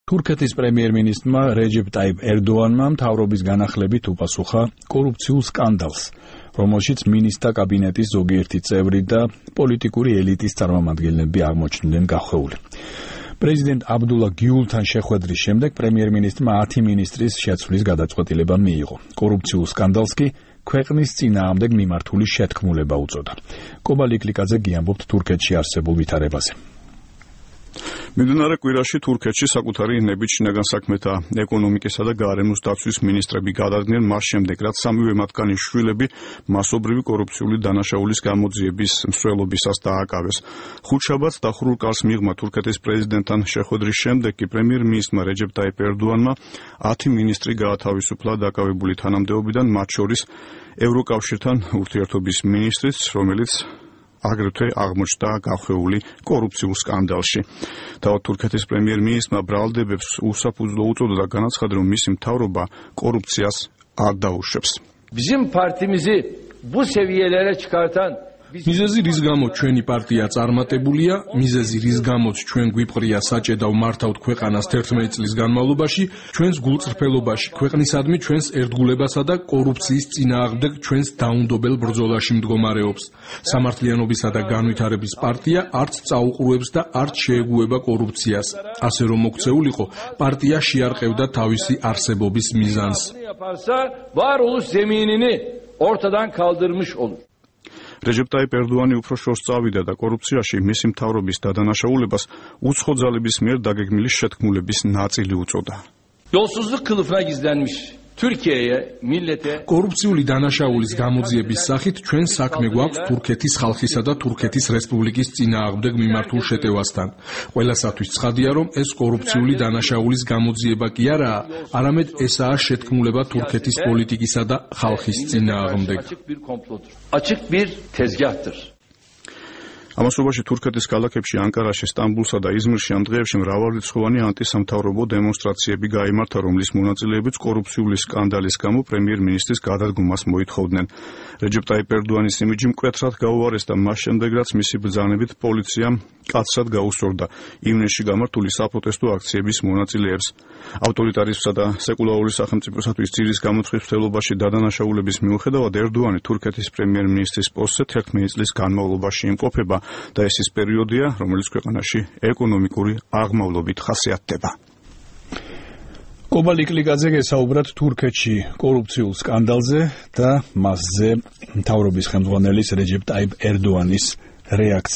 თურქეთის პრემიერ-მინისტრმა რეჯეპ ტაიპ ერდოანმა მთავრობის განახლებით უპასუხა კორუფციულ სკანდალს, რომელშიც მინისტრთა კაბინეტის ზოგიერთი წევრი და პოლიტიკური ელიტის წარმომადგენლები აღმოჩნდნენ გახვეული. პრეზიდენტ აბდულა გიულთან შეხვედრის შემდეგ პრემიერ-მინისტრმა 10 მინისტრის შეცვლის გადაწყვეტილება მიიღო. კორუფციულ სკანდალს კი ქვეყნის წინააღმდეგ მიმართული შეთქმულება უწოდა. კობალ იკლიკაძე გიამბობთ თურქეთში არსებულ ვითარებაზე. მიმდინარე კვირაში თურქეთში საკუთარი ნებით შინაგან საქმეთა, ეკონომიკისა და გარემოს დაცვის მინისტრები გადადგნენ მას შემდეგ, რაც სამივე მათგანი შვილები მასობრივი კორუფციული დანაშაულის გამოძიების მსვლელობისას დააკავეს. ხუთშაბათს დახურულ კარს მიღმა თურქეთის პრეზიდენტთან შეხვედრის შემდეგ კი პრემიერ-მინისტრმა რეჯეპ ტაიპ ერდოანმა 10 მინისტრი გაათავისუფლა დაკავებული თანამდებობიდან, მათ შორის ევროკავშირთან ურთიერთობის მინისტრიც, რომელიც აგრეთვე აღმოჩნდა გახვეული კორუფციულ სკანდალში. თავად თურქეთის პრემიერ-მინისტრმა ბრალდებებს უსაფუძვლო უწოდა და განაცხადა, რომ მისი მთავრობა კორუფციას არ დაუშვებს. Bizim partimizi bu seviyelere çıkartan მიზეზი რის გამოც ჩვენი პარტია წარმატებულია, მიზეზი რის გამოც ჩვენ გვიპყრია საჭედავ მართავთ ქვეყანას 11 წლის განმავლობაში, ჩვენს გულწრფელობაში, ქვეყნისადმი ჩვენს ერთგულებასა და კორუფციის წინააღმდეგ ჩვენს დაუნდობელ ბრძოლაში მდგომარეობს. სამართლიანობისა და განვითარების პარტია არც წაუყურებს და არც შეეგუება კორუფციას. ასე რომ მოქცეულიყო, პარტია შეარყევდა თავისი არსებობის მიზანს. varoluş zeminini ortadan kaldırmış olur. რეჯეპ ტაიპ ერდოანი უფრო შორს წავიდა და კორუფციაში მისი მთავრობის დადანაშაულებას უცხო ძალების მიერ დაგეგმილი შეთქმულების ნაწილი უწოდა. Yolsuzluk kılıfına gizlenmiş Türkiye'ye, millete კორუფციული დანაშაულის გამოძიების სახით ჩვენ საქმე გვაქვს თურქეთის ხალხისა და თურქეთის რესპუბლიკის წინააღმდეგ მიმართულ შეტევასთან. ყველასათვის ცხადია, რომ ეს კორუფციული დანაშაულის გამოძიება კი არაა, არამედ ესაა შეთქმულება თურქეთის პოლიტიკისა და ხალხის წინააღმდეგ. Açık bir tezgahtır. ამასობაში თურქეთის ქალაქებში ანკარაში, სტამბულსა და იზმირში ამ დღეებში მრავალრიცხოვანი ანტისამთავრობო დემონსტრაციები გაიმართა, რომლის მონაწილეებიც კორუფციული სკანდალის გამო პრემიერ-მინისტრის გადადგომას მოითხოვდნენ. რეჯეპ ტაიპ ერდოანის იმიჯი მკვეთრად გაუარეს და მას შემდეგ, რაც მისი ბრძანებით პოლიციამ კაცრად გაუსწორდა ივნისში გამართული საპროტესტო აქციების მონაწილეებს. ავტორიტარიზმსა და სეკულარული სახელმწიფოსათვის ძირის გამოცხვის მცდელობაში დადანაშაულების მიუხედავად ერდოანი თურქეთის პრემიერ-მინისტრის პოსტზე 11 წლის განმავლობაში იმყოფება და ეს ის პერიოდია, რომელიც ქვეყანაში ეკონომიკური აღმავლობით ხასიათდება. კობალ იკლიკაძე გესაუბრათ თურქეთში კორუფციულ სკანდალზე და მასზე მთავრობის ხელმძღვანელის რეჯეპ ტაიპ ერდოანის რეაქცია.